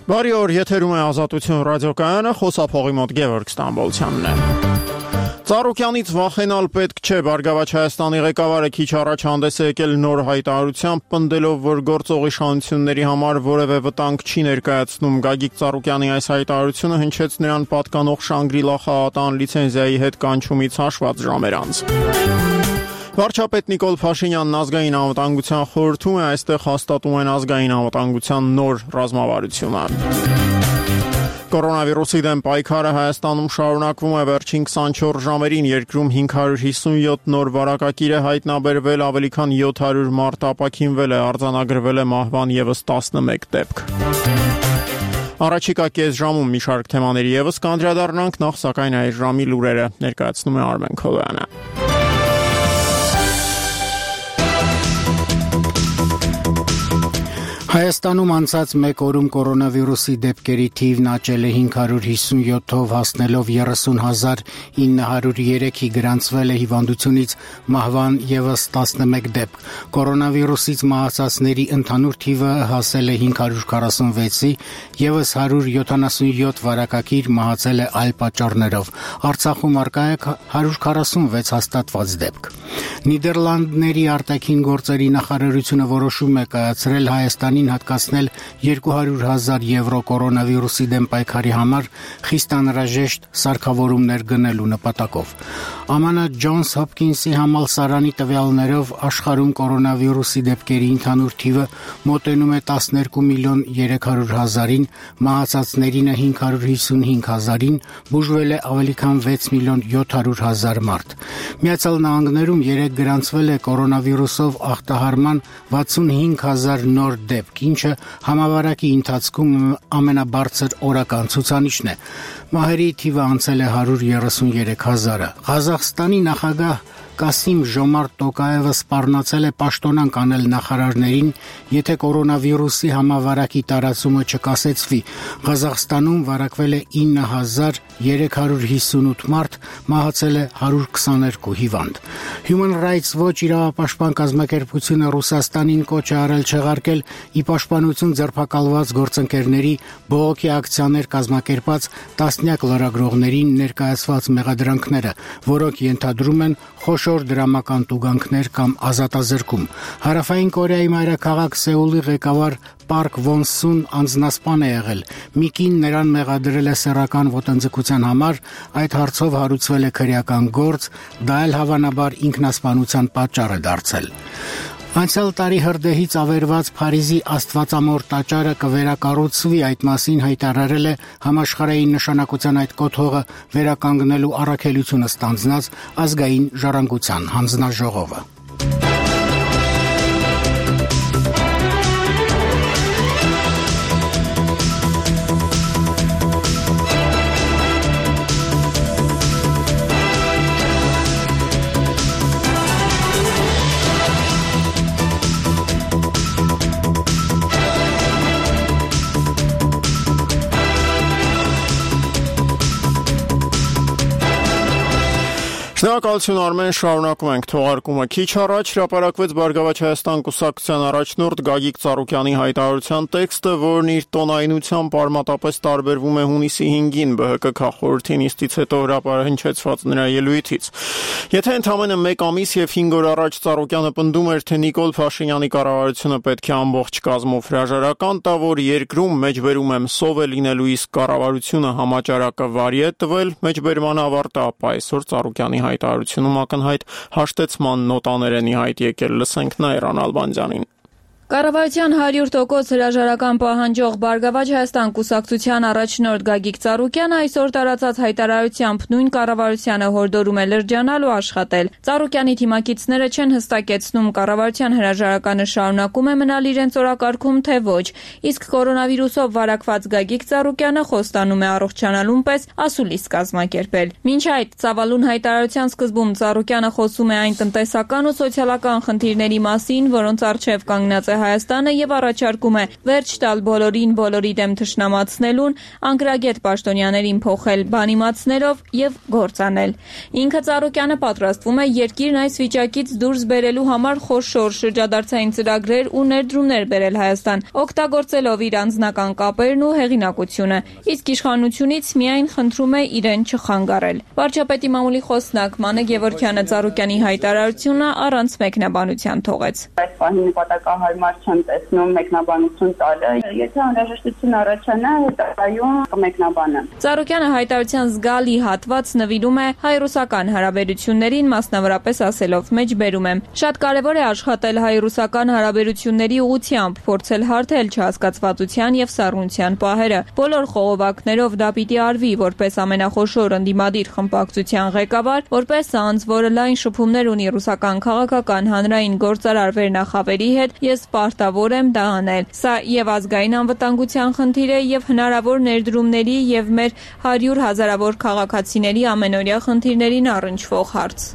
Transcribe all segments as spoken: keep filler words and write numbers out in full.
Բարի օր, եթերում է Ազատություն ռադիոկայանը, խոսափողի մոտ Գևորգ Ստամբոլցյանն է։ Ծառուկյանից վախենալ պետք չէ, Բարգավաճ Հայաստանի ղեկավարը քիչ առաջ հանդես է եկել նոր հայտարարությամբ, պնդելով, որ գործող իշխանությունների համար որևէ վտանգ չի ներկայացնում։ Գագիկ Ծառուկյանի այս հայտարարությունը հնչեց նրան պատկանող Շանգրիլա խաղատան լիցենզիայի հետ կանչումից հաշված ժամեր անց։ Վարչապետ Նիկոլ Փաշինյանն ազգային անվտանգության խորհրդում է, այստեղ հաստատում են ազգային անվտանգության նոր ռազմավարությունը։ Կորոնավիրուսի դեմ պայքարը Հայաստանում շարունակվում է, վերջին քսանչորս ժամերին երկրում հինգ հարյուր հիսունյոթ նոր վարակագիր է հայտնաբերվել, ավելի քան յոթ հարյուր մարդ ապաքինվել է, արձանագրվել է մահվան ևս տասնմեկ դեպք։ Առաջիկա կես ժամում մի շարք թեմաների ևս կանդրադառնանք, նախ սակայն այս ժամի լուրերը ներկայացնում է Արմեն Քոլոյանը։ Հայաստանում անցած մեկ օրում կորոնավիրուսի դեպքերի թիվն աճել է հինգ հարյուր հիսունյոթով, հասնելով երեսուն հազար ինը հարյուր երեքի, գրանցվել է հիվանդությունից մահվան ևս տասնմեկ դեպք։ Կորոնավիրուսից մահացածների ընդհանուր թիվը հասել է հինգ հարյուր քառասունվեցի, ևս հարյուր յոթանասունյոթ վարակագիր մահացել է այլ պատճառներով։ Արցախում առկա է հարյուր քառասունվեց հաստատված դեպք։ Նիդերլանդների արտաքին գործերի նախարարությունը որոշում է կայացրել Հայաստանին հատկացնել երկու հարյուր հազար եվրո կորոնավիրուսի դեմ պայքարի համար խիստ անհրաժեշտ սարքավորումներ գնելու նպատակով։ ԱՄՆ Ջոնս Հոփքինսի համալսարանի տվյալներով աշխարհում կորոնավիրուսի դեպքերի ընդհանուր թիվը մոտենում է տասներկու միլիոն երեք հարյուր հազարին, մահացածներինը հինգ հարյուր հիսունհինգ հազարին, բուժվել է ավելի քան վեց միլիոն յոթ հարյուր հազար մարդ։ Միացյալ Նահանգներում երեկ գրանցվել է կորոնավիրուսով ախտահարման վաթսունհինգ հազար նոր դեպք, ինչը համավարակի ընթացքում ամենաբարձր օրական ցուցանիշն է։ Մահերի թիվը անցել է հարյուր երեսուներեք հազարը։ Ղազախստանի նախագահ Կասիմ Ժոմարտ Տոկաևը սպառնացել է պաշտոնանկ անել նախարարներին, եթե կորոնավիրուսի համավարակի տարածումը չկասեցվի։ Ղազախստանում վարակվել է ինը հազար երեք հարյուր հիսունութ մարդ, մահացել է հարյուր քսաներկու հիվանդ։ Human Rights Watch իրավապաշտպան կազմակերպությունը Ռուսաստանին կոչ է արել չեղարկել ի պաշտպանություն ձերբակալված գործընկերների բողոքի ակցիաներ կազմակերպած տասնյակ լրագրողներին ներկայացված մեղադրանքները, որոնք ենթադրում են խոշոր դրամական տուգանքներ կամ ազատազրկում։ Հարավային Կորեայի մայրաքաղաք Սեուլի ղեկավար Պարկ Վոն Սուն անձնասպան է եղել։ Մի կին նրան մեղադրել է սեռական ոտնձգության համար, այդ հարցով հարուցվել է քրեական գործ, դա էլ հավանաբար ինքնասպանության պատճառ է դարձել։ Անցյալ տարի հրդեհից ավերված Փարիզի Աստվածամոր տաճարը կվերակառուցվի, այդ մասին հայտարարել է համաշխարհային նշանակության այդ կոթողը վերականգնելու առաքելությունը ստանձնած ազգային ժառանգության հանձնաժողովը։ Շնորհակալություն Արմեն, շարունակում ենք թողարկումը։ Քիչ առաջ հրապարակվեց Բարգավաճ Հայաստան կուսակցության առաջնորդ Գագիկ Ծառուկյանի հայտարարության տեքստը, որն իր տոնայնությամբ արմատապես տարբերվում է հունիսի հինգին ԲՀԿ քաղաքորթի նիստից հետո հրապարակեցված նրա ելույթից։ Եթե ընդամենը մեկ ամիս եւ հինգ օր առաջ Ծառուկյանը պնդում էր, թե Նիկոլ Փաշինյանի կառավարությունը պետք է ամբողջ կազմով հրաժարական տա, որ երկրում մեջբերում եմ սով է լինելու, իսկ կառավարությունը համաճարակը վարի է տվել, մեջբերման ավարտը, ապա այսօր Ծառուկյանի հայտարարությունում ակնհայտ հաշտեցման նոտաներ են ի հայտ եկել, լսենք Նաիրան Ալբանդյանին։ Կառավարության հարյուր տոկոս հրաժարական պահանջող Բարգավաճ Հայաստան կուսակցության առաջնորդ Գագիկ Ծառուկյանը այսօր տարածած հայտարարությամբ նույն կառավարությանը հորդորում է լրջանալ ու աշխատել։ Ծառուկյանի թիմակիցները չեն հստակեցնում կառավարության հրաժարականը շարունակում է մնալ իրենց օրակարգում, թե ոչ, իսկ կորոնավիրուսով վարակված Գագիկ Ծառուկյանը խոստանում է առողջանալուն պես ասուլիս կազմակերպել։ Մինչ այդ ծավալուն հայտարարության սկզբում Ծառուկյանը խոսում է այն տնտեսական ու սոցիալական խնդիրների մասին, որոնց առջև կանգնած է Հայաստանը եւ առաջարկում է վերջ տալ բոլորին բոլորի դեմ թշնամացնելուն, անկրագետ պաշտոնյաներին փոխել բանիմացներով եւ գործանել։ Ինքը Ծառուկյանը պատրաստվում է երկիրն այս վիճակից դուրս բերելու համար խոշոր շրջադարձային ծրագրեր ու ներդրումներ բերել Հայաստան, օգտագործելով իր անձնական կապերն ու հեղինակությունը, իսկ իշխանությունից միայն խնդրում է իրեն չխանգարել։ Վարչապետի մամուլի խոսնակ Մանե Գևորգյանը Ծառուկյանի հայտարարությունը առանց մեկնաբանության թողեց։ Այս պահին նպատակահարմար չեմ տեսնում մեկնաբանություն տալը, եթե անհրաժեշտություն առաջանա, հետագայում կմեկնաբանեմ։ Ծառուկյանը հայտարարության զգալի հատված նվիրում է հայ-ռուսական հարաբերություններին, մասնավորապես ասելով. «Մեջբերում եմ. Շատ կարևոր է աշխատել հայ-ռուսական հարաբերությունների ուղղությամբ, փորձել հարթել չհասկացվածության եւ սառնության պահերը։ Բոլոր խողովակներով դա պիտի արվի որպես ամենախոշոր ընդդիմադիր խմբակցության ղեկավար, որպես անձ, որը լայն շփումներ ունի ռուսական քաղաքական հանրային գործարար վերնախավերի հետ, ես պարտավոր եմ դա անել։ Սա եւ ազգային անվտանգության խնդիր է, եւ հնարավոր ներդրումների եւ մեր հարյուր հազարավոր քաղաքացիների ամենօրյա խնդիրներին առնչվող հարց»։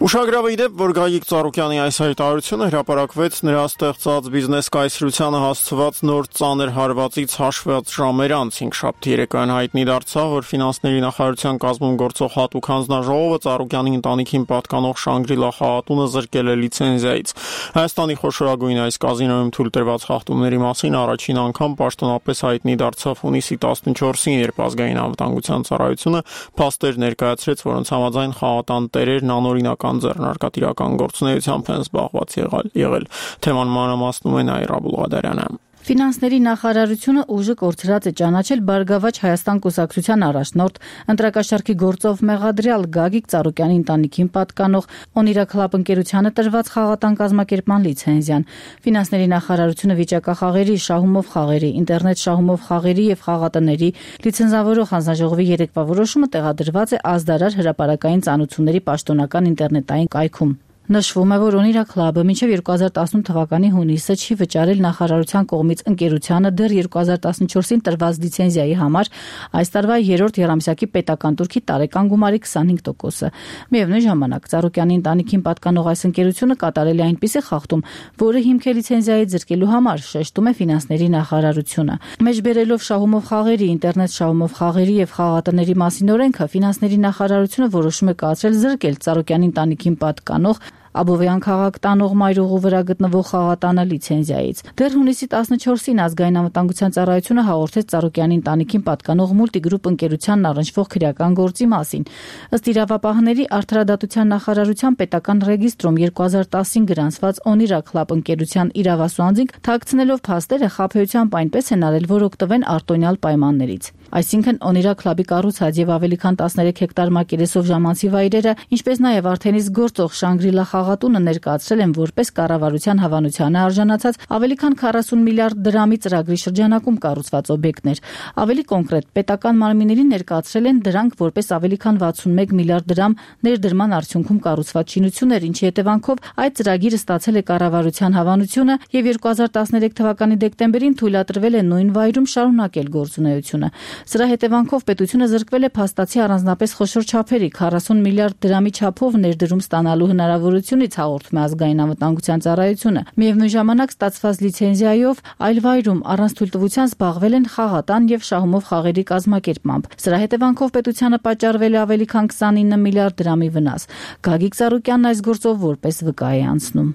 Ուշագրավ է իդեպ, որ Գագիկ Ծառուկյանի այս հայտարարությունը հրապարակվեց նրա ստեղծած բիզնես կայսրությանը հասցված նոր ծանր հարվածից հաշված ժամեր անց հինգշաբթի երեկոյան հայտնի դարձավ, որ ֆինանսների նախարարության կազմում գործող հատուկ հանձնաժողովը Ծառուկյանի ընտանիքին պատկանող Շանգրիլա խաղատունը զրկել է լիցենզիայից։ Հայաստանի խոշորագույն այս կազինոյում թույլ տրված խախտումների մասին առաջին անգամ պաշտոնապես հայտնի դարձավ հունիսի տասնչորսին, երբ ազգային անվտանգության ծառայությունը փաստեր ներկայացրեց, որոնց համաձայն խաղատան տերերն անօրինական ձեռնարկատիրական գործունեությամբ են զբաղված եղել, եղել։ Թեման մանրամասնում է Նաիրա Բուլղադարյանը։ Ֆինանսների նախարարությունը ուժը կորցրած է ճանաչել Բարգավաճ Հայաստան կուսակցության առաջնորդ, ընտրակաշառքի գործով մեղադրյալ Գագիկ Ծառուկյանի ընտանիքին պատկանող Օնիրա Քլաբ ընկերությանը տրված խաղատան կազմակերպման լիցենզիան։ Ֆինանսների նախարարությունը վիճակախաղերի, շահումով խաղերի, ինտերնետ շահումով խաղերի եւ խաղատների լիցենզավորող հանձնաժողովի երեկվա որոշումը տեղադրված է ազդարար հրապարակային ծանոթությունների պաշտոնական ինտերնետային կայքում։ Նշվում է, որ Օնիրա Քլաբը մինչև երկու հազար տասնութ թվականի հունիսը չի վճարել նախարարության կողմից ընկերությանը դեռ երկու հազար տասնչորսին տրված լիցենզիայի համար այս տարվա երրորդ եռամսյակի պետական տուրքի տարեկան գումարի քսանհինգ տոկոսը։ Միևնույն ժամանակ Ծառուկյանի ընտանիքին պատկանող այս ընկերությունը կատարել է այնպիսի խախտում, որը հիմք է լիցենզիայի զրկելու համար, շեշտում է ֆինանսների նախարարությունը։ Մեջբերելով շահումով խաղերի, ինտերնետ շահումով խաղերի եւ խաղատների մասին օրենքը, ֆինանսների նախարարությունը որոշում է կայացրել զրկել Ծառուկյանի ընտանիքին պատկանող Աբովյան քաղաք տանող մայրուղու վրա գտնվող խաղատանը լիցենզիայից։ Դեռ հունիսի տասնչորսին ազգային անվտանգության ծառայությունը հաղորդեց Ծառուկյանի ընտանիքին պատկանող Մուլտիգրուպ ընկերությանն առնչվող քրեական գործի մասին։ Ըստ իրավապահների արդարադատության նախարարության պետական ռեգիստրում երկու հազար տասին գրանցված Օնիրա Քլաբ ընկերության իրավասու անձինք թաքցնելով փաստերը խաբեությամբ այնպես են արել, որ օգտվեն արտոնյալ պայմաններից։ Այսինքն Օնիրա Քլաբի կառուցած եւ ավելի քան տասներեք հեկտար մակերեսով ժամանցի վայրերը, ինչպես նաեւ արդեն իսկ գործող Շանգրիլա խաղատունը ներկայացրել են որպես կառավարության հավանությանը արժանացած ավելի քան քառասուն միլիարդ դրամի ծրագրի շրջանակում կառուցված օբյեկտներ։ Ավելի կոնկրետ, պետական մարմիններին ներկայացրել են դրանք որպես ավելի քան վաթսունմեկ միլիարդ դրամ ներդրման արդյունքում կառուցված շինություններ, ինչի հետևանքով այդ ծրագիրը ստացել է կառավարության հավանությունը եւ երկու հազար տասներեք թվականի դեկտեմբերին թույլատրվել է նույն վայրում շարունակել գործունեությունը։ Սրա հետևանքով պետությունը զրկվել է փաստացի առանձնապես խոշոր չափերի քառասուն միլիարդ դրամի չափով ներդրում ստանալու հնարավորությունից, հաղորդում է ազգային անվտանգության ծառայությունը։ Միևնույն ժամանակ ստացված լիցենզիայով այլ վայրում առանց թույլտվության զբաղվել են խաղատան եւ շահումով խաղերի կազմակերպմամբ։ Սրա հետևանքով պետությանը պատճառվել է ավելի քան քսանինը միլիարդ դրամի վնաս։ Գագիկ Ծառուկյանն այս գործով որպես վկա է անցնում։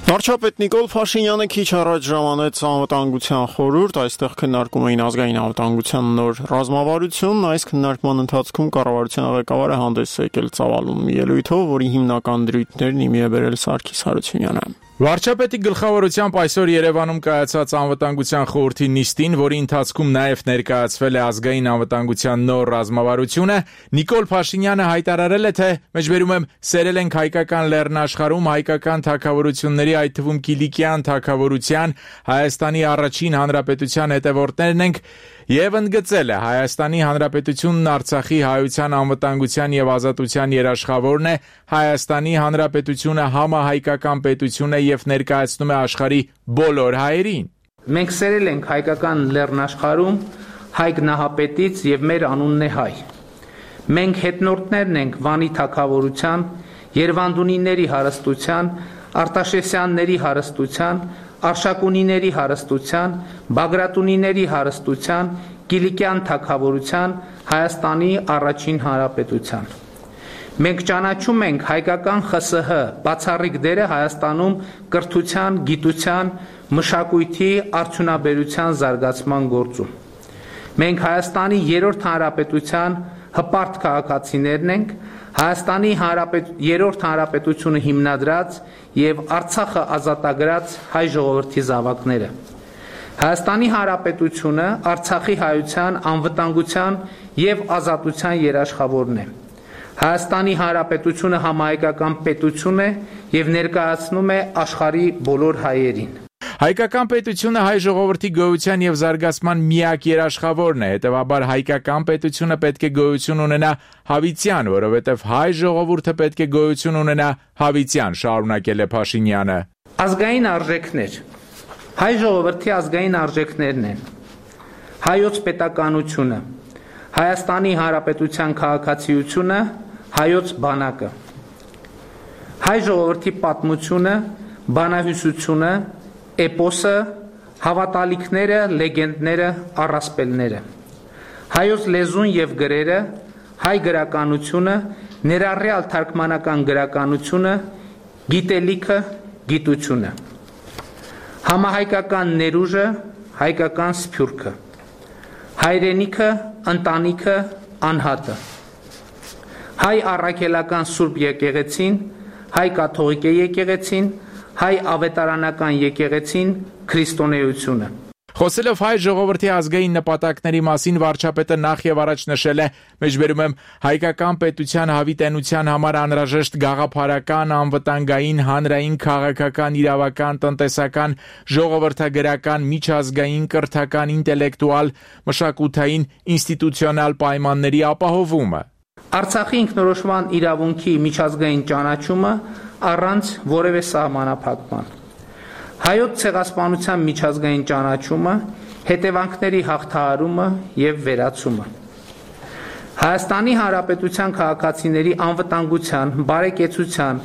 Վարչապետ Նիկոլ Փաշինյանը քիչ առաջ ժամանեց անվտանգության խորհուրդ, այստեղ քննարկում էին ազգային անվտանգության նոր ռազմավարությունն, այս քննարկման ընթացքում կառավարության ղեկավարը հանդես է եկել ծավալուն ելույթով, որի հիմնական դրույթներն իմի է բերել Սարգիս Հարությունյանը։ Վարչապետի գլխավորությամբ այսօր Երևանում կայացած անվտանգության խորհրդի նիստին, որի ընթացքում նաև ներկայացվել է ազգային անվտանգության նոր ռազմավարությունը, Նիկոլ Փաշինյանը հայտարարել է, թե մեջբերում եմ սերել ենք հայկական լեռնաշխարհում հայկական թագավորությունների, այդ թվում Կիլիկյան թագավորության, Հայաստանի առաջին հանրապետության հետևորդներն ենք եւ ընդգծել է Հայաստանի Հանրապետությունն Արցախի հայության անվտանգության եւ ազատության երաշխավորն է, Հայաստանի Հանրապետությունը համահայկական պետություն է եւ ներկայացնում է աշխարհի բոլոր հայերին։ Մենք սերել ենք հայկական լեռնաշխարհում հայ գնահապետից եւ մեր անունն է հայ։ Մենք հետնորդներն ենք Վանի թագավորության Երևանդունիների հարստության, Արտաշեսյանների հարստության, Արշակունիների հարստության, Բագրատունիների հարստության, Կիլիկյան թագավորության, Հայաստանի առաջին հանրապետության։ Մենք ճանաչում ենք հայկական ԽՍՀ բացառիկ դերը Հայաստանում կրթության, գիտության, մշակույթի, արդյունաբերության զարգացման գործում։ Մենք Հայաստանի երրորդ հանրապետության հպարտ քաղաքացիներն ենք, Հայաստանի երրորդ հանրապետությունը հիմնադրած եւ Արցախը ազատագրած հայ ժողովրդի զավակները։ Հայաստանի հանրապետությունը Արցախի հայության անվտանգության եւ ազատության երաշխավորն է։ Հայաստանի հանրապետությունը համահայկական պետություն է եւ ներկայացնում է աշխարհի բոլոր հայերին։ Հայկական պետությունը հայ ժողովրդի գոյության եւ զարգացման միակ երաշխավորն է, հետեւաբար հայկական պետությունը պետք է գոյություն ունենա հավիտյան, որովհետեւ հայ ժողովուրդը պետք է գոյություն ունենա հավիտյան, շարունակել է Փաշինյանը։ Ազգային արժեքներ։ Հայ ժողովրդի ազգային արժեքներն են հայոց պետականությունը, Հայաստանի հանրապետության քաղաքացիությունը, հայոց բանակը, հայ ժողովրդի պատմությունը, բանահյուսությունը, էպոսը, հավատալիքները, լեգենդները, առասպելները, հայոց լեզուն եւ գրերը, հայ գրականությունը, ներառյալ թարգմանական գրականությունը, գիտելիքը, գիտությունը, համահայկական ներուժը, հայկական սփյուռքը, հայրենիքը, ընտանիքը, անհատը, հայ առաքելական Սուրբ եկեղեցին, հայ կաթողիկ եկեղեցին, հայ ավետարանական եկեղեցին, քրիստոնեությունը։ Խոսելով հայ ժողովրդի ազգային նպատակների մասին վարչապետը նախ եւ առաջ նշել է, մեջբերում եմ հայկական պետության հավիտենության համար անհրաժեշտ գաղափարական, անվտանգային, հանրային, քաղաքական, իրավական, տնտեսական, ժողովրդագրական, միջազգային, կրթական, ինտելեկտուալ, մշակութային, ինստիտուցիոնալ պայմանների ապահովումը։ Արցախի ինքնորոշման իրավունքի միջազգային ճանաչումը առանց որևէ սահմանափակման։ Հայոց ցեղասպանության միջազգային ճանաչումը, հետևանքների հաղթահարումը եւ վերացումը։ Հայաստանի Հանրապետության քաղաքացիների անվտանգության, բարեկեցության,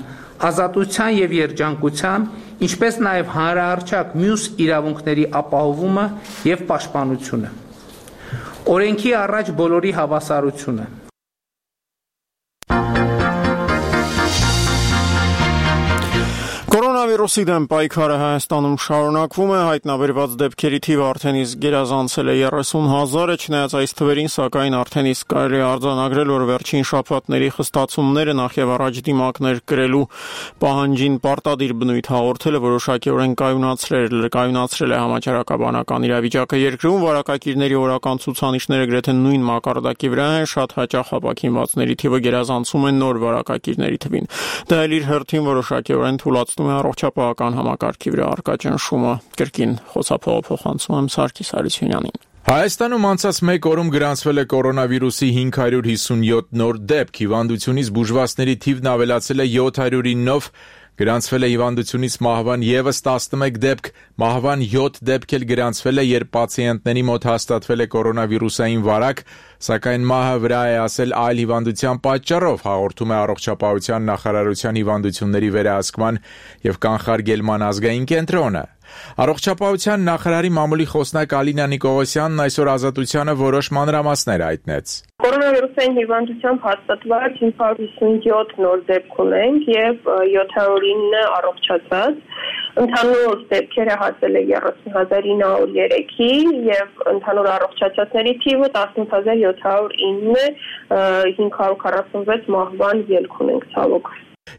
ազատության եւ երջանկության, ինչպես նաեւ հանրահռչակ մյուս իրավունքների ապահովումը եւ պաշտպանությունը։ Օրենքի առաջ բոլորի հավասարությունը։ Կորոնավիրուսի դեմ պայքարը Հայաստանում շարունակվում է, հայտնաբերված դեպքերի թիվը արդեն իսկ գերազանցել է երեսուն հազարը, չնայած այս թվերին, սակայն արդեն իսկ կարելի է արձանագրել, որ վերջին շաբաթների խստացումները նախ եւ առաջ դիմակներ կրելու պահանջին պարտադիր բնույթ հաղորդելը որոշակիորեն կայունացրել կայունացրել է համաճարակաբանական իրավիճակը երկրում, վարակակիրների օրական ցուցանիշները գրեթե նույն մակարդակի վրա են, շատ հաճախ ապաքինվածների թիվը գերազանցում է նոր վարակակիրների թվին։ Դա էլ իր հերթին որոշակիորեն թույլատնում է առողջապահական համակարգի վրա առկա ճնշումը։ Կրկին խոսափողը փոխանցում եմ Սարգիս Հարությունյանին։ Հայաստանում անցած մեկ օրում գրանցվել է կորոնավիրուսի հինգ հարյուր հիսունյոթ նոր դեպք, հիվանդությունից բուժվածների թիվն ավելացել է յոթ հարյուր նինով, գրանցվել է հիվանդությունից մահվան ևս տասնմեկ դեպք, մահվան յոթ դեպք էլ գրանցվել է, երբ պացիենտների մոտ հաստատվել է կորոնավիրուսային վարակ, սակայն մահը վրա է ասել այլ հիվանդության պատճառով, հաղորդում է Առողջապահության նախարարության հիվանդությունների վերահսկման եւ կանխարգելման ազգային կենտրոնը։ Առողջապահության նախարարի մամուլի խոսնակ Ալինա Նիկողոսյանն այսօր Ազատությանը որոշ մանրամասներ հայտնեց։ Կորոնավիրուսային հիվանդությամբ հաստատված հինգ հարյուր հիսունյոթ նոր դեպք ունենք եւ յոթ հարյուր ինը առողջացած։ Ընդհանուր դեպքերը հասել է երեսուն հազար ինը հարյուր երեքի եւ ընդհանուր առողջացածների թիվը տասնութ հազար յոթ հարյուր ինը, հինգ հարյուր քառասունվեց մահվան ելք ունենք ցավոք։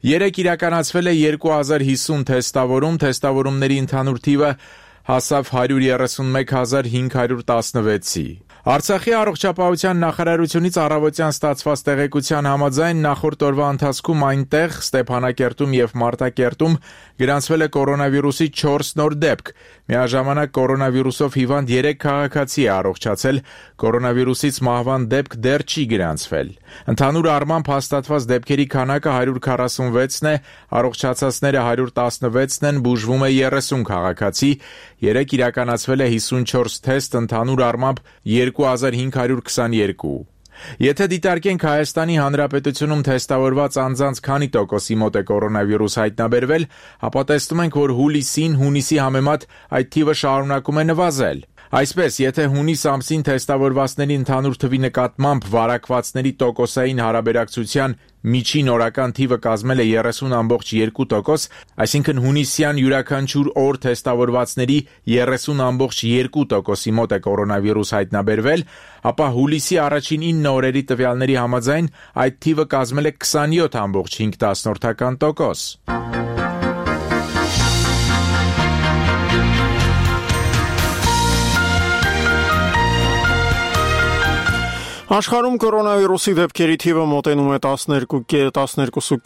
Երեկ իրականացվել է երկու հազար հիսուն թեստավորում, թեստավորումների ընդհանուր թիվը հասավ հարյուր երեսունմեկ հազար հինգ հարյուր տասնվեցի։ Արցախի առողջապահության նախարարությունից առավոտյան ստացված տեղեկության համաձայն նախորդ օրվա ընթացքում այնտեղ Ստեփանակերտում եւ Մարտակերտում գրանցվել է կորոնավիրուսի չորս նոր դեպք։ Միաժամանակ կորոնավիրուսով հիվանդ երեք քաղաքացի է առողջացել, կորոնավիրուսից մահվան դեպք դեռ չի գրանցվել։ Ընդհանուր առմամբ հաստատված դեպքերի քանակը հարյուր քառասունվեցն է, առողջացածները հարյուր տասնվեցն են, բուժվում է երեսուն քաղաքացի, երեք իրականացվել է հիսունչորս թեստ, ընդհանուր առմամբ երկու հազար հինգ հարյուր քսաներկու։ Եթե դիտարկենք Հայաստանի Հանրապետությունում թեստավորված անձանց քանի տոկոսի մոտ է կորոնավիրուս հայտնաբերվել, ապա տեսնում ենք, որ հուլիսին հունիսի համեմատ այդ թիվը շարունակում է նվազել։ Այսպես, եթե հունիս ամսին թեստավորվածների ընդհանուր թվի նկատմամբ վարակվածների տոկոսային հարաբերակցության միջին օրական թիվը կազմել է երեսուն ամբողջ երկու տոկոս, այսինքն հունիսյան յուրաքանչյուր օր թեստավորվածների երեսուն ամբողջ երկու տոկոսի մոտ է կորոնավիրուս հայտնաբերվել, ապա հուլիսի առաջին ինը օրերի տվյալների համաձայն այդ թիվը կազմել է քսանյոթ ամբողջ հինգ տոկոս։ Աշխարհում կորոնավիրուսի դեպքերի թիվը մոտենում է տասներկու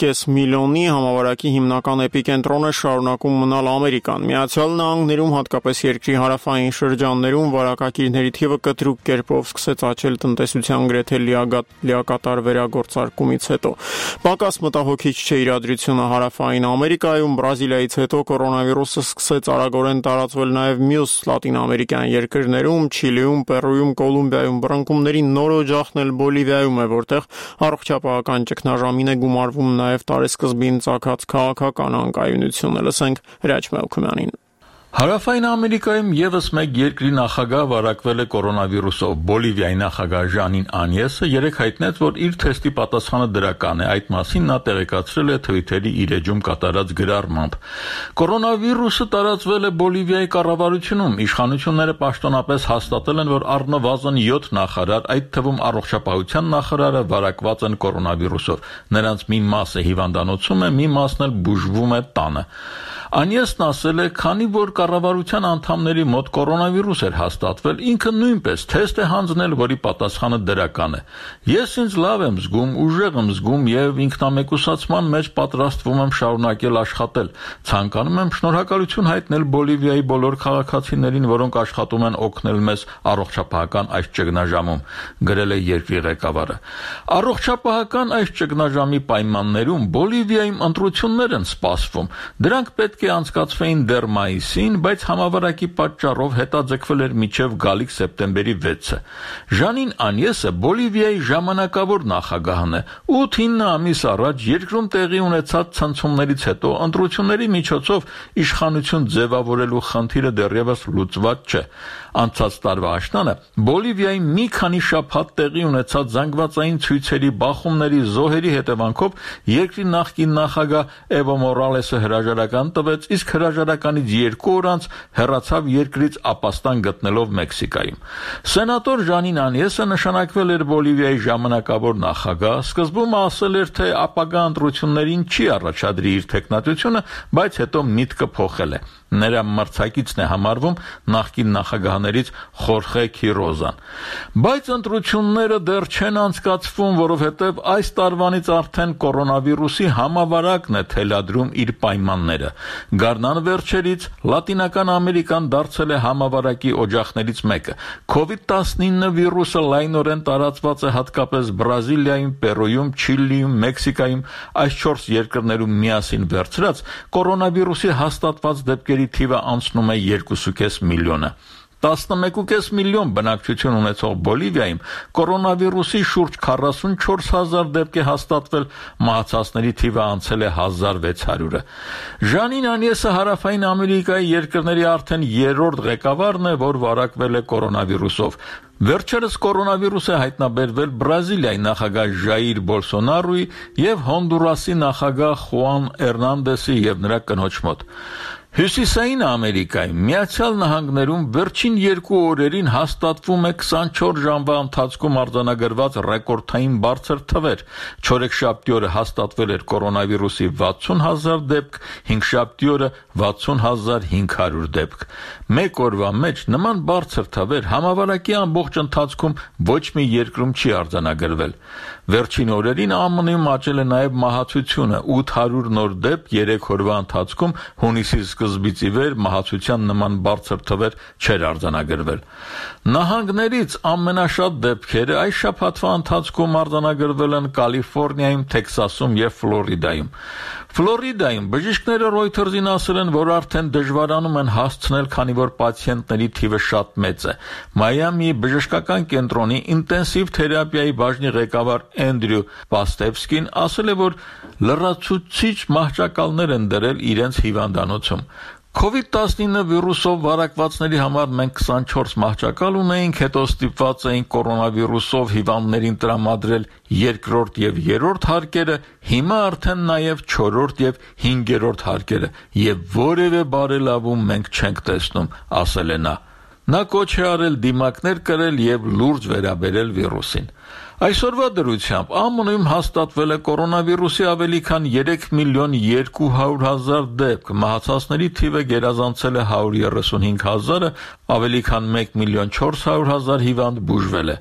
կես միլիոնի, համավարակի հիմնական էպիկենտրոնը շարունակում մնալ Ամերիկան։ Միացյալ Նահանգներում, հատկապես երկրի հարավային շրջաններում, վարակակիրների թիվը կտրուկ կերպով սկսեց աճել տնտեսության գրեթե լիակատար վերագործարկումից հետո։ Պակաս մտահոգիչ չէ իրադրությունը հարավային Ամերիկայում, Բրազիլիայից հետո կորոնավիրուսը սկսեց արագորեն տարածվել նաև մյուս լատինամերիկյան երկրներում, Չիլիում, Պերուում, Կոլումբիայում, բռնկումների նորոջ ախնել Բոլիվիայում է, որտեղ առողջապահական ճգնաժամին է գումարվում նաև տարեսկզբին ծագած քաղաքական անկայունությունը։ Լսենք Հրաչ Մելքումյանին։ Հարավային Ամերիկայում եւս մեկ երկրի նախագահ վարակվել է կորոնավիրուսով։ Բոլիվիայի նախագահ Ժանին Անյեսը երեկ հայտնեց, որ իր թեստի պատասխանը դրական է։ Այդ մասին նա տեղեկացրել է Թվիթերի իր էջում կատարած գրառմամբ։ Կորոնավիրուսը տարածվել է Բոլիվիայի կառավարությունում։ Իշխանությունները պաշտոնապես հաստատել են, որ առնվազն յոթ նախարար, այդ թվում առողջապահության նախարարը, վարակված են կորոնավիրուսով։ Նրանց մի մասը հիվանդանոցում է, մի մասն էլ բուժվում է տանը։ Անյեսն ասել է, քանի որ կառավարության անդամների մոտ կորոնավիրուս էր հաստատվել, ինքը նույնպես թեստ է հանձնել, որի պատասխանը դրական է։ Ես ինձ լավ եմ զգում, ուժեղ եմ զգում եւ ինքնամեկուսացման մեջ պատրաստվում եմ շարունակել աշխատել։ Ցանկանում եմ շնորհակալություն հայտնել Բոլիվիայի բոլոր քաղաքացիներին, որոնք աշխատում են օգնել մեզ առողջապահական այս ճգնաժամում, գրել է երկրի ղեկավարը։ Առողջապահական այս ճգնաժամի պայմաններում Բոլիվիայում ընտրություններ են սպասվում։ Դրանք պետք է անցկացվեին դեռ մայիսին, բայց համավարակի պատճառով հետաձգվել էր մինչև գալիք սեպտեմբերի վեցը։ Ժանին Անյեսը Բոլիվիայի ժամանակավոր նախագահն է։ ութ-ինը ամիս առաջ երկրում տեղի ունեցած ցնցումներից հետո ընտրությունների միջոցով իշխանություն ձևավորելու խնդիրը դեռևս լուծված չէ։ Անցած տարվա աշնանը Բոլիվիայի մի քանի շաբաթ տեղի ունեցած զանգվածային ցույցերի, բախումների, զոհերի հետևանքով երկրի նախկին նախագահ Էվո Մորալեսը հրաժարական տվեց, իսկ հրաժարականից երկու օր անց հեռացավ երկրից ապաստան գտնելով Մեքսիկայում։ Սենատոր Ժանին Անյեսը նշանակվել էր Բոլիվիայի ժամանակավոր նախագահ, սկզբում ասել էր, թե ապագա ընտրություններին չի առաջադրի իր թեկնածությունը, բայց հետո միտքը փոխել է։ Նրա մրցակիցն է համարվում նախկին նախագահներից Խորխե Քիրոզան։ Բայց ընտրությունները դեռ չեն անցկացվում, որովհետև այս տարվանից արդեն կորոնավիրուսի համավարակն է թելադրում իր պայմանները։ Գարնան վերջերից Լատինական Ամերիկան դարձել է համավարակի օջախներից մեկը։ քովիդ տասնինը վիրուսը լայնորեն տարածված է հատկապես Բրազիլիայում, Պերույում, Չիլիում, Մեքսիկայում, այս չորս երկրներում միասին վերցրած կորոնավիրուսի հաստատված դեպքերի թիվը անցնում է երկուսուկես միլիոնը։ տասնմեկու կես միլիոն բնակչություն ունեցող Բոլիվիայում կորոնավիրուսի շուրջ քառասունչորս հազար դեպք է հաստատվել, մահացածների թիվը անցել է հազար վեց հարյուրը։ Ժանին Անյեսը հարավային Ամերիկայի երկրների արդեն երրորդ ղեկավարն է, որ վարակվել է կորոնավիրուսով։ Վերջերս կորոնավիրուս է հայտնաբերվել Բրազիլիայի նախագահ Ժայիր Բոլսոնարոյի եւ Հոնդուրասի նախագահ Խուան Էրնանդեսի եւ նրա կնոջ մոտ։ Հյուսիսային Ամերիկայում Միացյալ Նահանգներում վերջին երկու օրերին հաստատվում է քսանչորս ժամվա ընթացքում արձանագրված ռեկորդային բարձր թվեր։ Չորեքշաբթի օրը հաստատվել էր կորոնավիրուսի վաթսուն հազար դեպք, հինգշաբթի օրը վաթսուն հազար հինգ հարյուր դեպք։ Մեկ օրվա մեջ նման բարձր թվեր համավարակի ամբողջ ընթացքում ոչ մի երկրում չի արձանագրվել։ Վերջին օրերին ԱՄՆ-ում աճել է նաև մահացությունը՝ ութ հարյուր նոր դեպք երեք օրվա ընթացքում, հունիսի սկզբից ի վեր մահացության նման բարձր թվեր չեր արձանագրվել։ Նահանգներից ամենաշատ դեպքերը այս շաբաթվա ընթացքում արձանագրվել են Կալիֆոռնիայում, Թեքսասում եւ Ֆլորիդայում։ Ֆլորիդայում բժիշկները Reuters-ին ասել են, որ արդեն դժվարանում են հասցնել, քանի որ պացիենտների թիվը շատ մեծ է։ Մայամիի բժշկական կենտրոնի ինտենսիվ թերապիայի բաժնի ղեկավար Էնդրյու Պաստևսկին ասել է, որ լրացուցիչ մահճակալներ են դրել իրենց հիվանդանոցում։ COVID տասնինը վիրուսով վարակվածների համար մենք քսանչորս մահճակալ ունեինք, հետո ստիպված էինք կորոնավիրուսով հիվանդներին տրամադրել երկրորդ եւ երրորդ հարկերը, հիմա արդեն նաեւ չորրորդ եւ հինգերորդ հարկերը, եւ որևէ բարելավում մենք չենք տեսնում, ասել է նա։ Նա կոչ է արել դիմակներ կրել եւ լուրջ վերաբերել վիրուսին։ Այսօրվա դրությամբ ԱՄՆ-ում հաստատվել է կորոնավիրուսի ավելի քան երեք միլիոն երկու հարյուր հազար դեպք, մահացածների թիվը գերազանցել է հարյուր երեսունհինգ հազարը, ավելի քան մեկ միլիոն չորս հարյուր հազար հիվանդ բուժվել է։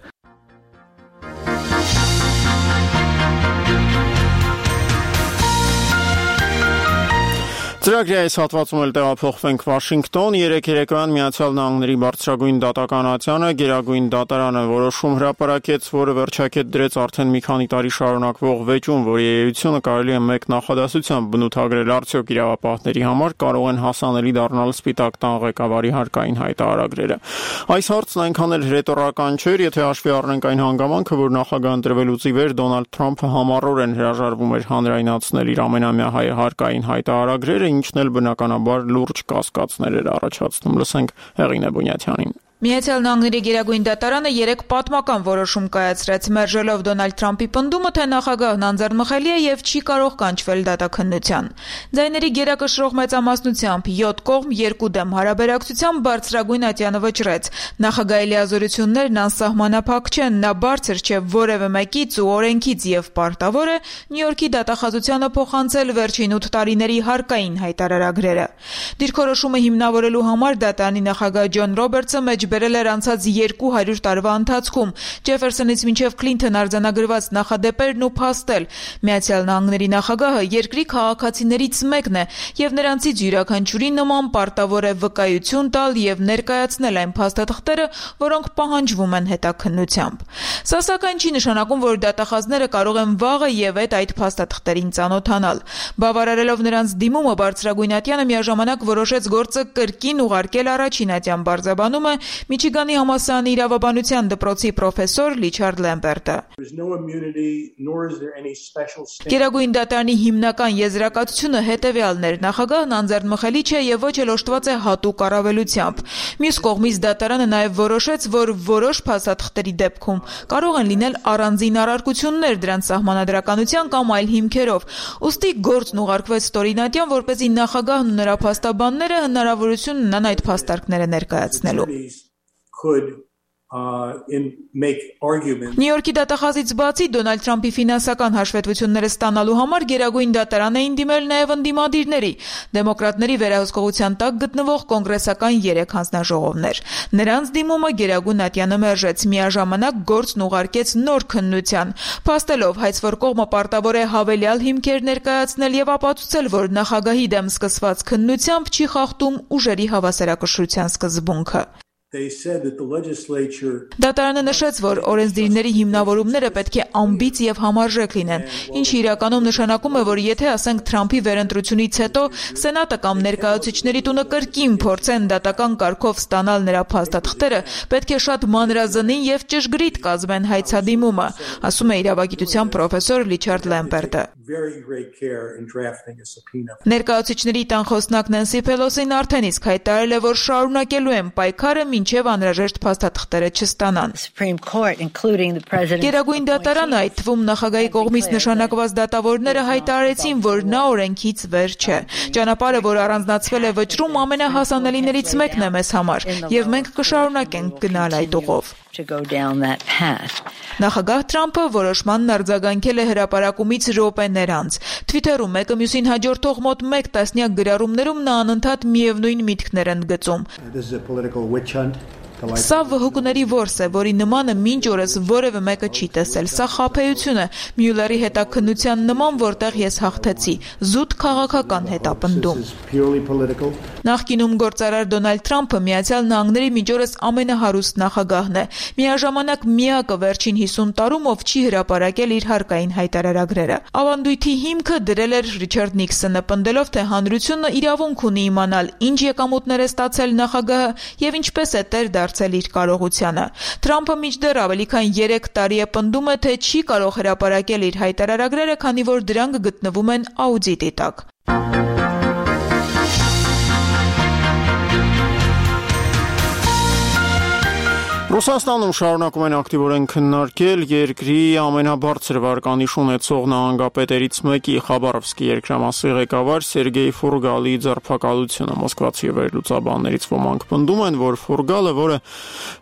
Ծրագրի այս հատվածում էլ տեղափոխվենք Վաշինգտոն։ Երեկ երեկոյան Միացյալ Նահանգների բարձրագույն դատականատյանը Գերագույն դատարանը որոշում հրապարակեց, որը վերջակետ դրեց արդեն մի քանի տարի շարունակվող վեճում, որի էությունը կարելի է մեկ նախադասությամբ բնութագրել արդյոք իրավապահների համար կարող են հասանելի դառնալ Սպիտակ տան ղեկավարի հարկային հայտարարագրերը։ Այս հարցն այնքան էլ հրետորական չէր, եթե հաշվի առնենք այն հանգամանքը, որ նախագահ ընտրվելուց ի վեր Դոնալդ Թրամփը համառորեն հրաժարվում էր հանրայնացնել իր ամենամյա հարկային հայտարարագրերը, ինչն էլ բնականաբար լուրջ կասկածներ էր առաջացնում։ Լսենք Հեղինե Բունյաթյանին։ Միացյալ Նահանգների Գերագույն դատարանը երեք պատմական որոշում կայացրեց, մերժելով Դոնալդ Թրամփի պնդումը, թե նախագահն անձեռնմխելի է եւ չի կարող կանչվել դատաքննության։ Ձայների գերակշռող մեծամասնությամբ յոթ կողմ երկու դեմ հարաբերակցությամբ բարձրագույն ատյանը վճռեց։ Նախագահի լիազորություններն անսահմանափակ չեն, նա բարձր չէ որևէ մեկից ու օրենքից եւ պարտավոր է Նյու Յորքի դատախազությանը փոխանցել վերջին ութ տարիների հարկային հայտարարագրերը։ Դիրքորոշումը հիմնավորելու համար դատարանի նախագահ Ջոն Ռոբերտսը մեջ բերել էր անցած երկու հարյուր տարվա ընթացքում Ջեֆերսոնից մինչև Քլինթոն արձանագրված նախադեպերն ու փաստել։ Միացյալ Նահանգների նախագահը երկրի քաղաքացիներից մեկն է եւ նրանցից յուրաքանչյուրի նման պարտավոր է վկայություն տալ եւ ներկայացնել այն փաստաթղթերը, որոնք պահանջվում են հետաքննությամբ։ Սա սակայն չի նշանակում, որ դատախազները կարող են վաղը եւ այդ այդ փաստաթղթերին ծանոթանալ։ Բավարարելով նրանց դիմումը բարձրագույն ատյանը միաժամանակ որոշեց գործը կրկին ուղարկել առաջին ատյան բարձաբանումը Միչիգանի համալսարանի իրավաբանության դպրոցի պրոֆեսոր Լիչարդ Լեմպերտը։ Գերագույն դատարանի հիմնական եզրակացությունը հետևյալն էր. նախագահն անձեռնմխելի չէ եւ ոչ էլ օժտված է հատուկ առավելությամբ։ Մյուս կողմից դատարանը նաեւ որոշեց, որ որոշ փաստաթղթերի դեպքում կարող են լինել առանձին առարկություններ դրանց սահմանադրականության կամ այլ հիմքերով։ Ուստի գործն ուղարկվեց ստորինատյան, որպեսզի նախագահն ու նրա փաստաբանները հնարավորություն ունենան այդ փաստարկները ներկայացնելու։ Could uh, in make arguments. Նյու Յորքի դատախազից բացի Դոնալդ Թրամփի ֆինանսական հաշվետվությունները ստանալու համար Գերագույն դատարան էին դիմել նաև ընդդիմադիրների, դեմոկրատների վերահսկողության տակ գտնվող կոնգրեսական երեք հանձնաժողովներ։ Նրանց դիմումը Գերագույն ատյանը մերժեց, միաժամանակ գործն ուղարկեց նոր քննության, փաստելով հայց, որ կողմը պարտավոր է հավելյալ հիմքեր ներկայացնել եւ ապացուցել, որ նախագահի դեմ սկսված քննությամբ չի խախտում ուժերի հավասարակշռության սկզբունքը։ Դատարանը նշեց, որ օրենսդիրների հիմնավորումները պետք է ամբից եւ համարժեք լինեն, ինչը իրականում նշանակում է, որ եթե ասենք Թրամփի վերընտրությունից հետո Սենատը կամ ներկայացուցիչների տունը կրկին փորձեն դատական կարգով ստանալ նրա փաստաթղթերը, պետք է շատ մանրազնին եւ ճշգրիտ կազմեն հայցադիմումը, ասում է իրավագիտության պրոֆեսոր Լիչարդ Լեմպերտը։ Ներկայացուցիչների տան խոսնակ Նենսի Փելոսին արդեն իսկ հայտարարել է, որ շարունակելու են պայքարը մինչև անհրաժեշտ փաստաթղթերը չստանան։ Գերագույն դատարանը, այդ թվում նախագահի կողմից նշանակված դատավորները հայտարարեցին, որ նա օրենքից վեր չէ։ Ճանապարհը, որ առանձնացվել է վճռում, ամենահասանելիներից մեկն է մեզ համար, եւ մենք կշարունակենք գնալ այդ ուղով։ Նախագահ Թրամփը որոշմանն արձագանքել է հրապարակումից րոպեներ անց։ Թվիթերում մեկը մյուսին հաջորդող մոտ մեկ տասնյակ գրառումներում նա անընդհատ միևնույն միտքներ են գծում։ Սա վհուկների որս է, որի նմանը մինչ օրս որևէ մեկը չի տեսել։ Սա խաբեություն է, Մյուլլերի հետաքննության նման, որտեղ ես հաղթեցի, զուտ քաղաքական հետապնդում։ Նախկինում գործարար Դոնալդ Թրամփը Միացյալ Նահանգների միջորս ամենահարուստ նախագահն է, միաժամանակ միակը վերջին հիսուն տարում, ով չի հրապարակել իր հարկային հայտարարագրերը։ Ավանդույթի հիմքը դրել էր Ռիչարդ Նիքսոնը, պնդելով, թե հանրությունը իրավունք ունի իմանալ, ինչ եկամուտներ է ստացել նախագահը եւ ինչպես է տեր դարձել իր կարողությանը։ Թրամփը մինչդեռ ավելի քան երեք տարի է պնդում է, թե չի կարող հրապարակել իր հայտարարագրերը, քանի որ դրանք գտնվում են աուդիտի տակ։ Ռուսաստանում շարունակում են ակտիվորեն քննարկել երկրի ամենաբարձր վարկանիշ ունեցող նահանգապետերից մեկի Խաբարովսկի երկրամասի ղեկավար Սերգեյ Ֆուրգալի ձերբակալությունը։ Մոսկվացի վերլուծաբաններից ոմանք պնդում են, որ Ֆուրգալը, որը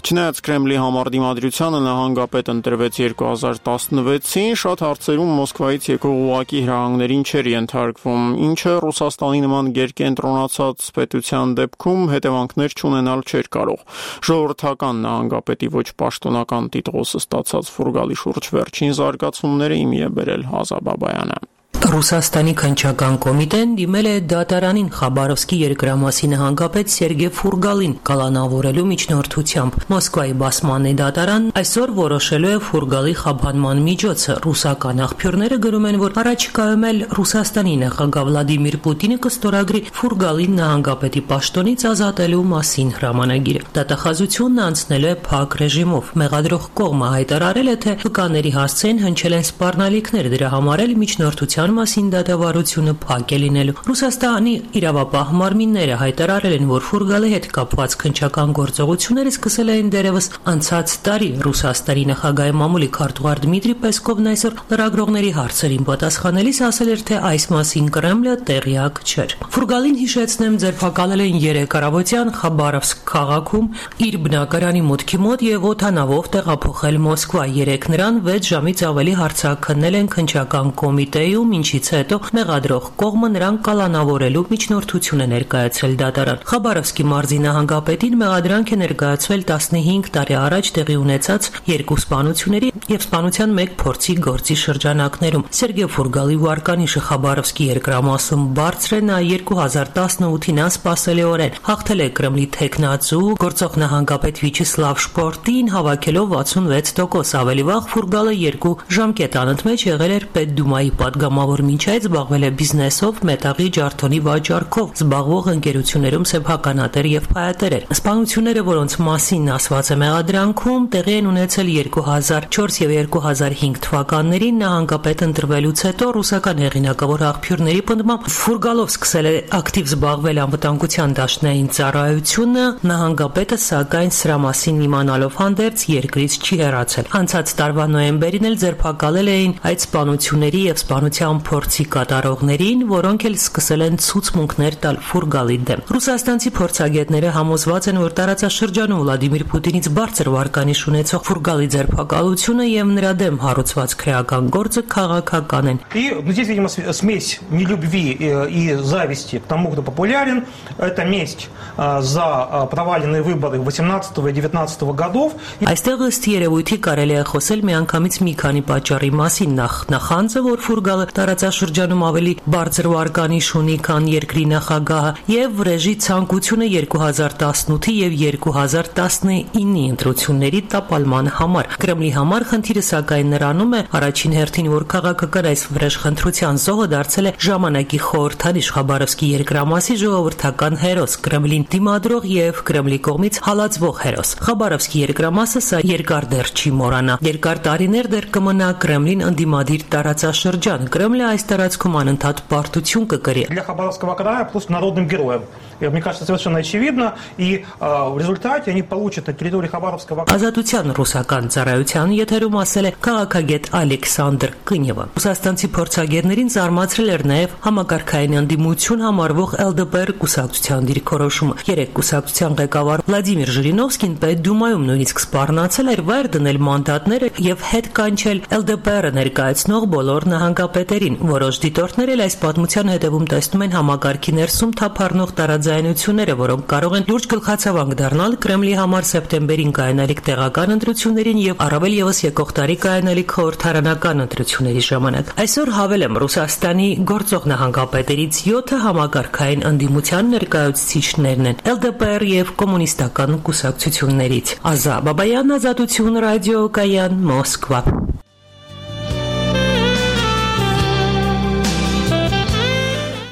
չնայած Կրեմլի համար դիմադրությանը նահանգապետ ընտրվեց երկու հազար տասնվեցին, շատ հարցերում Մոսկվայից եկող ուղղակի հրահանգներին չէր ենթարկվում, ինչը Ռուսաստանի նման գերկենտրոնացած պետության դեպքում հետևանքներ չունենալ չէր կարող։ Ժողովրդական նահանգապետի պետի ոչ պաշտոնական տիտղոսը ստացած Ֆուրգալի շուրջ վերջին զարգացումները իմի է բերել Հազաբաբայանը։ Ռուսաստանի քննչական կոմիտեն դիմել է դատարանին Խաբարովսկի երկրամասի նահանգապետ Սերգեյ Ֆուրգալին կալանավորելու միջնորդությամբ։ Մոսկվայի բասմանի դատարան այսօր որոշելու է Ֆուրգալի խաբանման միջոցը։ Ռուսական աղբյուրները գրում են, որ առաջիկայում էլ Ռուսաստանի նախագահ Վլադիմիր Պուտինը կստորագրի Ֆուրգալին նահանգապետի պաշտոնից ազատելու մասին հրամանագիրը։ Դատախազությունն անցնելու է փակ ռեժիմով։ Մեղադրող կողմը հայտարարել է, թե վկաների հասցեն հնչել են սպառնալիքներ, դրա համար էլ միջնորդության մասին դատավարությունը փակ է լինելու։ Ռուսաստանի իրավապահ մարմինները հայտարարել են, որ Ֆուրգալի հետ կապված քննչական գործողությունները սկսել էին դեռևս անցած տարի։ Ռուսաստանի նախագահի մամուլի քարտուղար Դմիտրի Պեսկովն այսօր լրագրողների հարցերին պատասխանելիս ասել էր, թե այս մասին Կրեմլը տեղյակ չէր։ Ֆուրգալին, հիշեցնեմ, ձերբակալել են երեկ առավոտյան Խաբարովսկ քաղաքում իր բնակարանի մուտքի մոտ եւ օդանավով տեղափոխել Մոսկվա։ Երեկ նրան վեց ժամից ավելի հարցաքննել են քննչական կոմիտեում, ինչից հետո մեղադրող կողմը նրան կալանավորելու միջնորդություն է ներկայացրել դատարան։ Խաբարովսկի մարզի նահանգապետին մեղադրանք է ներկայացվել տասնհինգ տարի առաջ տեղի ունեցած երկու սպանությունների եւ սպանության մեկ փորձի գործի շրջանակներում։ Սերգեյ Ֆուրգալի վարկանիշը Խաբարովսկի երկրամասում բարձր է, նա երկու հազար տասնութին անսպասելիորեն հաղթել է Կրեմլի թեկնածու գործող նահանգապետ Վիչեսլավ Շպորտին, հավաքելով վաթսունվեց տոկոս։ Ավելի վաղ Ֆուրգալը երկու ժամկետ անընդմեջ եղել էր Պետդումայի պատգամավոր, մինչ այդ զբաղվել է բիզնեսով, մետաղի ջարդոնի վաճառքով զբաղվող ընկերություններում սեփականատեր եւ փայատեր էր։ Սպանությունները, որոնց մասին ասված է մեղադրանքում, տեղի են ունեցել երկու հազար չորս եւ երկու հազար հինգ թվականներին նահանգապետ ընտրվելուց հետո ռուսական հեղինակավոր աղբյուրների պնդմամբ Ֆուրգալով սկսել է ակտիվ զբաղվել անվտանգության դաշնային ծառայությունը, նահանգապետը սակայն սրա մասին իմանալով հանդերձ երկրից չի հեռացել։ Անցած տարվա նոյեմբերին էլ ձերբակալել էին այդ սպանությունների եւ սպանության փորձի կատարողներին, որոնք էլ սկսել են ցուցմունքներ տալ Ֆուրգալի դեմ։ Ռուսաստանցի փորձագետները համոզված են, որ տարածաշրջանում Վլադիմիր Պուտինից բարձր վարկանիշ ունեցող Ֆուրգալի ձերբակալությունը եւ նրա դեմ հարուցված քրեական գործը քաղաքական են։ И здесь, видимо, смесь нелюбви и зависти к тому, кто популярен. Это месть за проваленные выборы восемнадцатого и девятнадцатого годов. Այստեղ ըստ երևույթի կարելի է խոսել միանգամից մի քանի պատճառի մասին։ Նախ նախանձը, որ Ֆուրգալը տարածաշրջանում ավելի բարձր վարկանիշ ունի, քան երկրի նախագահը, եւ վրեժի ցանկությունը երկու հազար տասնութի եւ երկու հազար տասնինի ընտրությունների տապալման համար։ Կրեմլի համար խնդիրը սակայն նրանում է առաջին հերթին, որ քաղաքական այս վրեժխնդրության զոհը դարձել է ժամանակի խորհրդանիշ Խաբարովսկի երկրամասի ժողովրդական հերոս, Կրեմլին դիմադրող եւ Կրեմլի կողմից հալածվող հերոս։ Խաբարովսկի երկրամասը սա երկար դեռ չի մոռանա։ Երկար տարիներ դեռ կմնա Կրեմլին ընդդիմադիր տարածաշրջան։ Կրեմլը այս տարածքում անընդհատ պարտություն կկրի։ Для Хабаровского края просто народным героем. И мне кажется, совершенно очевидно, и в результате они получат на территории Хабаровского края. Ազատության ռուսական ծառայության եթերում ասել է քաղաքագետ Ալեքսանդր Կնյևը։ Ռուսաստանցի փորձագետներին զարմացրել էր նաև համակարգային ընդդիմություն համարվող Էլ Դե Պի կուսակցության դիրքորոշումը։ Երեք կուսակցության ղեկավար Վլադիմիր Ժիրինովսկին Պետդումայում նույնիսկ սպառնացել էր վայր դնել մանդատները եւ հետ կանչել Էլ Դե Պի ներկայացնող բոլոր նահանգապետ հետերին։ Որոշ դիտորդներ էլ այս պատմության հետևում տեսնում են համակարգի ներսում թափառնող տարաձայնությունները, որոնք կարող են լուրջ գլխացավանք դառնալ Կրեմլի համար սեպտեմբերին կայանալիք տեղական ընտրություններին եւ առավել եւս եկող տարի կայանալիք խորհրդարանական ընտրությունների ժամանակ։ Այսօր հավելեմ Ռուսաստանի գործող նահանգապետերից յոթը համակարգային ընդդիմության ներկայացուցիչներն են Էլ Դե Պի Էր եւ կոմունիստական կուսակցություններից։ Ազա Բաբայան, Ազատություն ռադիո, Կայան, Մոսկվա։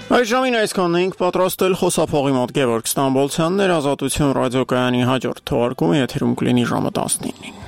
Այժմին այսքանն էինք պատրաստել խոսափողի մոտ Գևորգ Ստամբոլցյանն էր, Ազատություն ռադիոկայանի հաջորդ թողարկումը եթերում կլինի ժամը տասնինին։